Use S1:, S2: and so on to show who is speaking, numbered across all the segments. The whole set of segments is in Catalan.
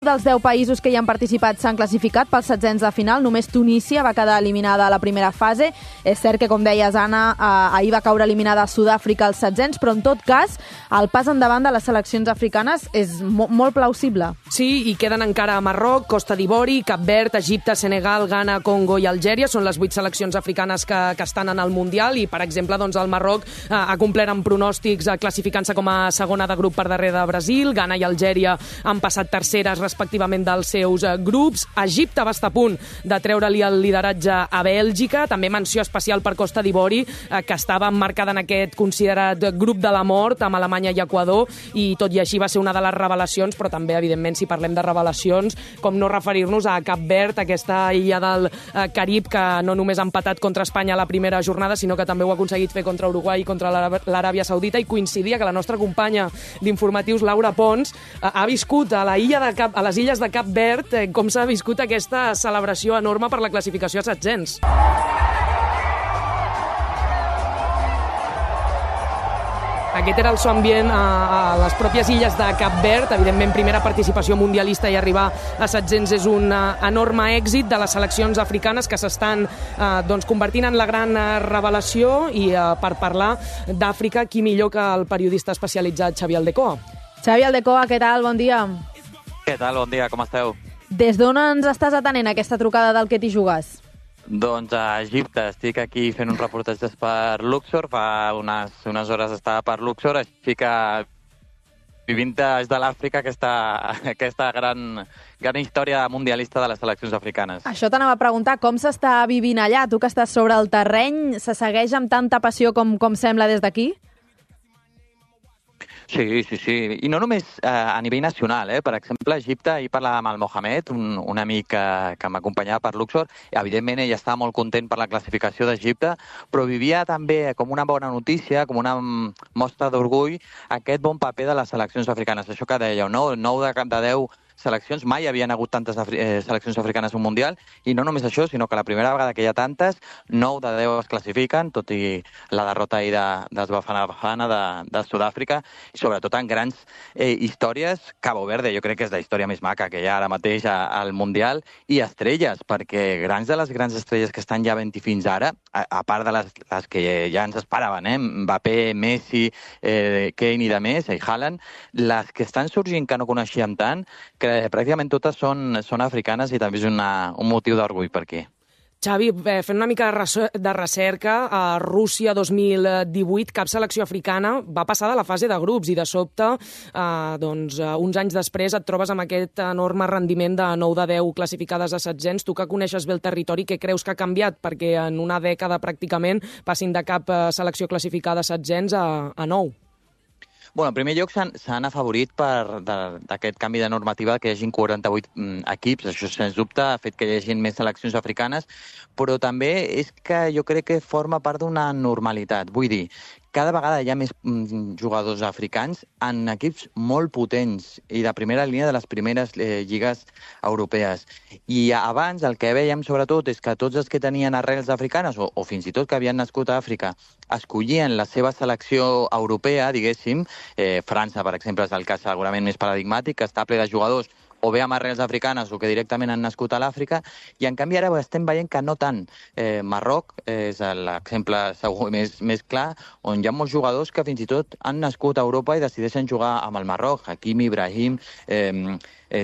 S1: dels 10 països que hi han participat s'han classificat pels setzents de final. Només Tunísia va quedar eliminada a la primera fase. És cert que, com deies, Anna, ahir va caure eliminada a Sud-àfrica als setzents, però en tot cas el pas endavant de les seleccions africanes és molt plausible.
S2: Sí, i queden encara Marroc, Costa d'Ivori, Cap Verd, Egipte, Senegal, Ghana, Congo i Algèria. Són les 8 seleccions africanes que estan en el Mundial i, per exemple, doncs, el Marroc ha complert amb pronòstics classificant-se com a segona de grup per darrere de Brasil. Ghana i Algèria han passat terceres respectivament dels seus grups. Egipte va estar a punt de treure-li el lideratge a Bèlgica. També menció especial per Costa d'Ivori, que estava emmarcada en aquest considerat grup de la mort amb Alemanya i Equador, i tot i així va ser una de les revelacions, però també, evidentment, si parlem de revelacions, com no referir-nos a Cap Verd, aquesta illa del Carib que no només ha empatat contra Espanya a la primera jornada, sinó que també ho ha aconseguit fer contra Uruguai i contra l'Aràbia Saudita, i coincidia que la nostra companya d'informatius, Laura Pons, ha viscut a les illes de Cap Verd com s'ha viscut aquesta celebració enorme per la classificació a setzents. Aquest era el so ambient a les pròpies illes de Cap Verd. Evidentment, primera participació mundialista i arribar a setzents és un enorme èxit de les seleccions africanes que s'estan convertint en la gran revelació. I per parlar d'Àfrica, qui millor que el periodista especialitzat Xavi Aldecoa.
S1: Xavi Aldecoa, què tal? Bon dia.
S3: Què tal? Bon dia, com esteu?
S1: Des d'on ens estàs atenent aquesta trucada del que t'hi jugues?
S3: Doncs a Egipte. Estic aquí fent un reportatge per Luxor. Fa unes hores estava per Luxor, així que vivint des de l'Àfrica aquesta gran història mundialista de les seleccions africanes.
S1: Això t'anava a preguntar, com s'està vivint allà? Tu que estàs sobre el terreny, se segueix amb tanta passió com sembla des d'aquí?
S3: Sí. I no només a nivell nacional. Per exemple, a Egipte, ahir parlàvem amb el Mohamed, un amic que m'acompanyava per Luxor. Evidentment, ell estava molt content per la classificació d'Egipte, però vivia també com una bona notícia, com una mostra d'orgull, aquest bon paper de les seleccions africanes. Això que dèieu, no? 9 de 10 seleccions, mai hi havien hagut tantes seleccions africanes en un Mundial, i no només això, sinó que la primera vegada que hi ha tantes, 9 de 10 es classifiquen, tot i la derrota ahir dels Bafana Bafana de Sud-àfrica, i sobretot en grans històries. Cabo Verde, jo crec que és la història més maca que hi ha ara mateix al Mundial, i estrelles, perquè les grans estrelles que estan ja havent-hi fins ara, a part de les que ja ens esperaven, Mbappé, Messi, Kane i de més, i Haaland, les que estan sorgint que no coneixíem tant, que pràcticament totes són africanes, i també és un motiu d'orgull per aquí.
S2: Xavi, fent una mica de recerca, a Rússia 2018 cap selecció africana va passar de la fase de grups, i de sobte, uns anys després et trobes amb aquest enorme rendiment de 9 de 10 classificades a setzents. Tu que coneixes bé el territori, què creus que ha canviat perquè en una dècada pràcticament passin de cap selecció classificada a setzents a 9?
S3: En primer lloc, s'han afavorit d'aquest canvi de normativa que hi hagin 48 equips. Això, sens dubte, ha fet que hi hagin més seleccions africanes, però també és que jo crec que forma part d'una normalitat. Vull dir, cada vegada hi ha més jugadors africans en equips molt potents i de primera línia de les primeres lligues europees. I abans el que veiem sobretot és que tots els que tenien arrels africanes o fins i tot que havien nascut a Àfrica escollien la seva selecció europea, diguéssim. França, per exemple, és el cas segurament més paradigmàtic, que està ple de jugadors o bé amb arrels africanes o que directament han nascut a l'Àfrica, i en canvi ara estem veient que no tant. Marroc és l'exemple segur més clar, on hi ha molts jugadors que fins i tot han nascut a Europa i decideixen jugar amb el Marroc. Hakimi, Ibrahim,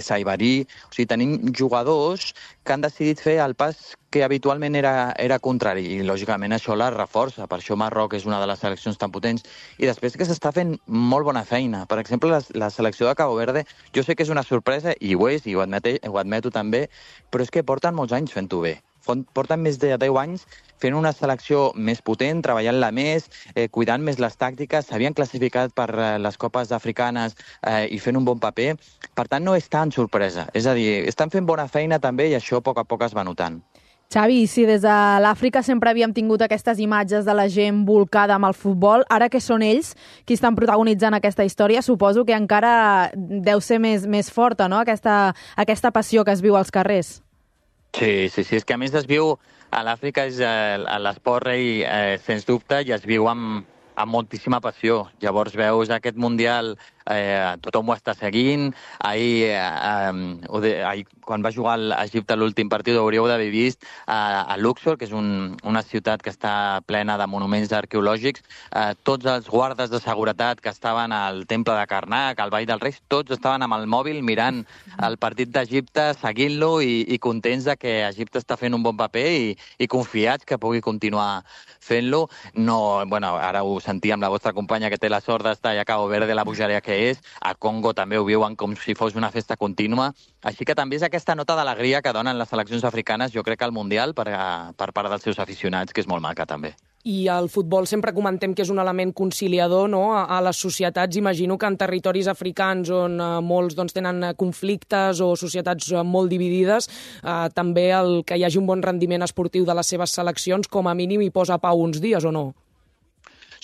S3: Saibari. O sigui, tenim jugadors que han decidit fer el pas que habitualment era contrari, i lògicament això la reforça. Per això Marroc és una de les seleccions tan potents. I després que s'està fent molt bona feina. Per exemple, la selecció de Cabo Verde, jo sé que és una sorpresa, i ho és, i ho admeto també, però és que porten molts anys fent-ho bé. Porten més de 10 anys fent una selecció més potent, treballant-la més, cuidant més les tàctiques, s'havien classificat per les copes africanes i fent un bon paper. Per tant, no és tan sorpresa. És a dir, estan fent bona feina també, i això a poc es va notant.
S1: Xavi, si des de l'Àfrica sempre havíem tingut aquestes imatges de la gent volcada amb el futbol, ara que són ells qui estan protagonitzant aquesta història, suposo que encara deu ser més forta, no?, aquesta passió que es viu als carrers.
S3: Sí, és que a més es viu a l'Àfrica, és l'esport rei, sens dubte, i es viu amb moltíssima passió. Llavors veus aquest Mundial tothom ho està seguint. Ahir, quan va jugar a Egipte l'últim partit, ho hauríeu d'haver vist a Luxor, que és una ciutat que està plena de monuments arqueològics. Tots els guardes de seguretat que estaven al temple de Karnak, al Vall dels Reis, tots estaven amb el mòbil mirant el partit d'Egipte, seguint-lo i contents de que Egipte està fent un bon paper i confiats que pugui continuar fent-lo. No, bueno, ara ho sentíem la vostra companya que té la sort d'estar a Cabo Verde, la bogeria que és. A Congo també ho viuen com si fos una festa contínua. Així que també és aquesta nota d'alegria que donen les seleccions africanes, jo crec, al Mundial per part dels seus aficionats, que és molt maca també.
S2: I el futbol sempre comentem que és un element conciliador, no? A les societats. Imagino que en territoris africans on molts tenen conflictes o societats molt dividides, també el que hi hagi un bon rendiment esportiu de les seves seleccions com a mínim hi posa pau uns dies, o no?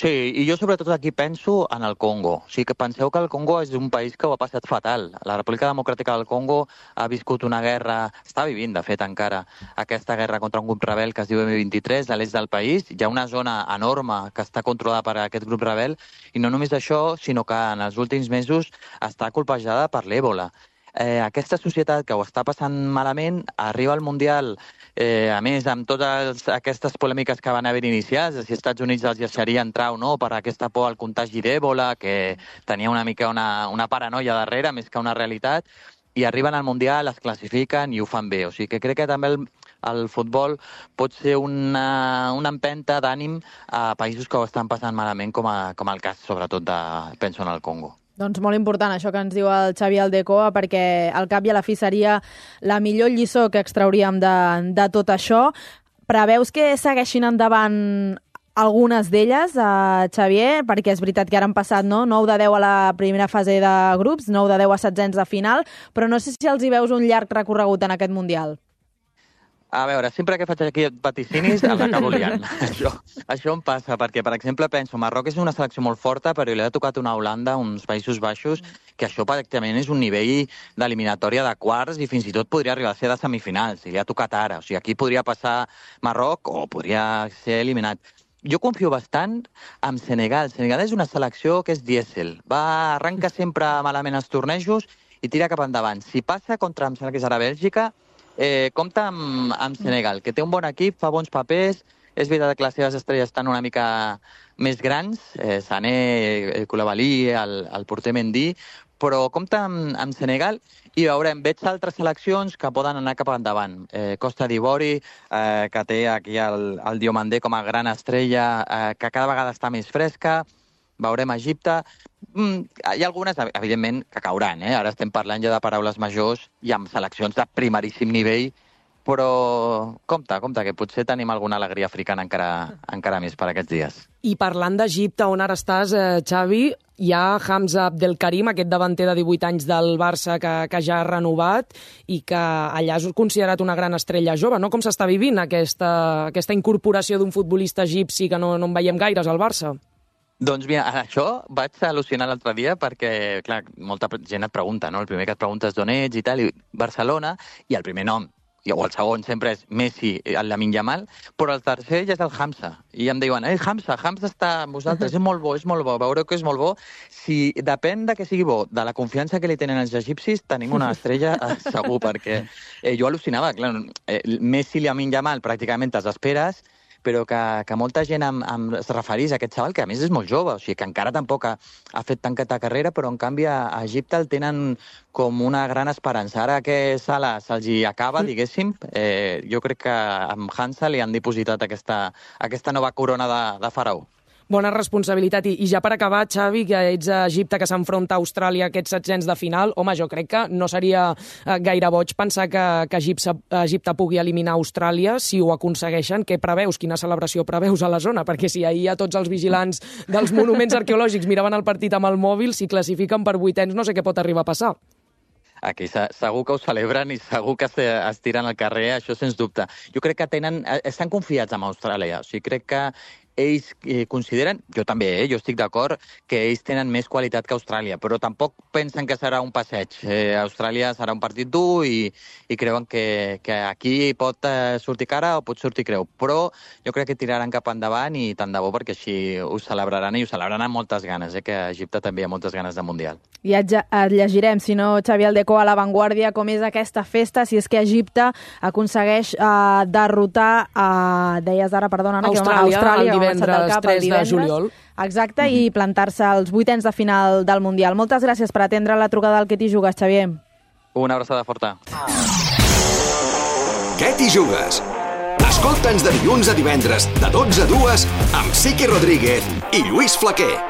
S3: Sí, i jo sobretot aquí penso en el Congo. O sigui, que penseu que el Congo és un país que ho ha passat fatal. La República Democràtica del Congo ha viscut una guerra, està vivint, de fet, encara, aquesta guerra contra un grup rebel que es diu M23 a l'est del país. Hi ha una zona enorme que està controlada per aquest grup rebel, i no només això, sinó que en els últims mesos està colpejada per l'Èbola. Aquesta societat que ho està passant malament arriba al Mundial, a més, amb totes aquestes polèmiques que van haver iniciats, de si els Estats Units els deixaria entrar o no per aquesta por al contagi d'Èbola, que tenia una mica una paranoia darrere, més que una realitat, i arriben al Mundial, es classifiquen i ho fan bé. O sigui que crec que també el futbol pot ser una empenta d'ànim a països que ho estan passant malament, com el cas, sobretot, penso en el Congo.
S1: Doncs molt important això que ens diu el Xavi Aldecoa, perquè al cap i a la fi seria la millor lliçó que extrauríem de tot això. Preveus que segueixin endavant algunes d'elles, Xavier? Perquè és veritat que ara han passat 9 de 10 a la primera fase de grups, 9 de 10 a setzents de final, però no sé si els hi veus un llarg recorregut en aquest Mundial.
S3: A veure, sempre que faig aquí vaticinis l'acabo liant. Això em passa, perquè, per exemple, penso, Marroc és una selecció molt forta, però li ha tocat una Holanda, uns Països Baixos, que això pràcticament és un nivell d'eliminatòria de quarts i fins i tot podria arribar a ser de semifinals, i li ha tocat ara. O sigui, aquí podria passar Marroc o podria ser eliminat. Jo confio bastant en Senegal. Senegal és una selecció que és dièsel. Arrenca sempre malament els tornejos i tira cap endavant. Si passa contra, em sembla que és ara Bèlgica, compta amb Senegal, que té un bon equip, fa bons papers. És veritat que les seves estrelles estan una mica més grans, Sané, Koulibaly, el porter Mendy, però compta amb Senegal i veurem, veig altres seleccions que poden anar cap endavant. Costa d'Ivori, que té aquí el Diomandé com a gran estrella, que cada vegada està més fresca. Veurem Egipte. Hi ha algunes, evidentment, que cauran. Ara estem parlant ja de paraules majors i amb seleccions de primeríssim nivell, però compte, que potser tenim alguna alegria africana encara més per aquests dies.
S2: I parlant d'Egipte, on ara estàs, Xavi, hi ha Hamza Abdelkarim, aquest davanter de 18 anys del Barça que ja ha renovat i que allà és considerat una gran estrella jove, no? Com s'està vivint aquesta incorporació d'un futbolista egipci que no en veiem gaires al Barça?
S3: Doncs mira, això vaig al·lucinar l'altre dia perquè, clar, molta gent et pregunta, no? El primer que et pregunta és d'on ets i tal, i Barcelona, i el primer nom, o el segon sempre és Messi, el Lamine Yamal, però el tercer ja és el Hamza. I em diuen, Hamza està amb vosaltres, és molt bo, veureu que és molt bo. Si depèn de que sigui bo, de la confiança que li tenen els egipcis, tenim una estrella segur, perquè jo al·lucinava, clar, Messi i Lamine Yamal pràcticament te'ls esperes, però que molta gent es referís a aquest xaval, que a més és molt jove, o sigui que encara tampoc ha fet tanta carrera, però en canvi a Egipte el tenen com una gran esperança. Ara que Salah se'ls hi acaba, diguéssim, jo crec que amb Hansa li han dipositat aquesta nova corona de faraó.
S2: Bona responsabilitat. I ja per acabar, Xavi, que ets a Egipte, que s'enfronta a Austràlia aquests setzents de final, home, jo crec que no seria gaire boig pensar que Egipte pugui eliminar Austràlia si ho aconsegueixen. Què preveus? Quina celebració preveus a la zona? Perquè si ahir tots els vigilants dels monuments arqueològics miraven el partit amb el mòbil, si classifiquen per vuitens no sé què pot arribar a passar.
S3: Aquí segur que ho celebren i segur que es tiren al carrer, això sens dubte. Jo crec que estan confiats en Austràlia, o sigui, crec que ells consideren, jo també, jo estic d'acord, que ells tenen més qualitat que Austràlia, però tampoc pensen que serà un passeig. Austràlia serà un partit dur i creuen que aquí pot sortir cara o pot sortir creu. Però jo crec que tiraran cap endavant i tant de bo perquè així ho celebraran i ho celebraran amb moltes ganes, que a Egipte també hi ha moltes ganes de Mundial.
S1: I et llegirem, si no, Xavi Aldeco, a l'avantguàrdia, com és aquesta festa, si és que Egipte aconsegueix derrotar, deies ara, perdona,
S2: Austràlia el divendres 3 de juliol.
S1: Exacte, i plantar-se als 8ens de final del Mundial. Moltes gràcies per atendre la trucada del Què t'hi jugues, Xavier.
S3: Una abraçada forta.
S4: Què t'hi jugues? Escolta'ns de dilluns a divendres, de 12 a 2, amb Siqui Rodríguez i Lluís Flaquer.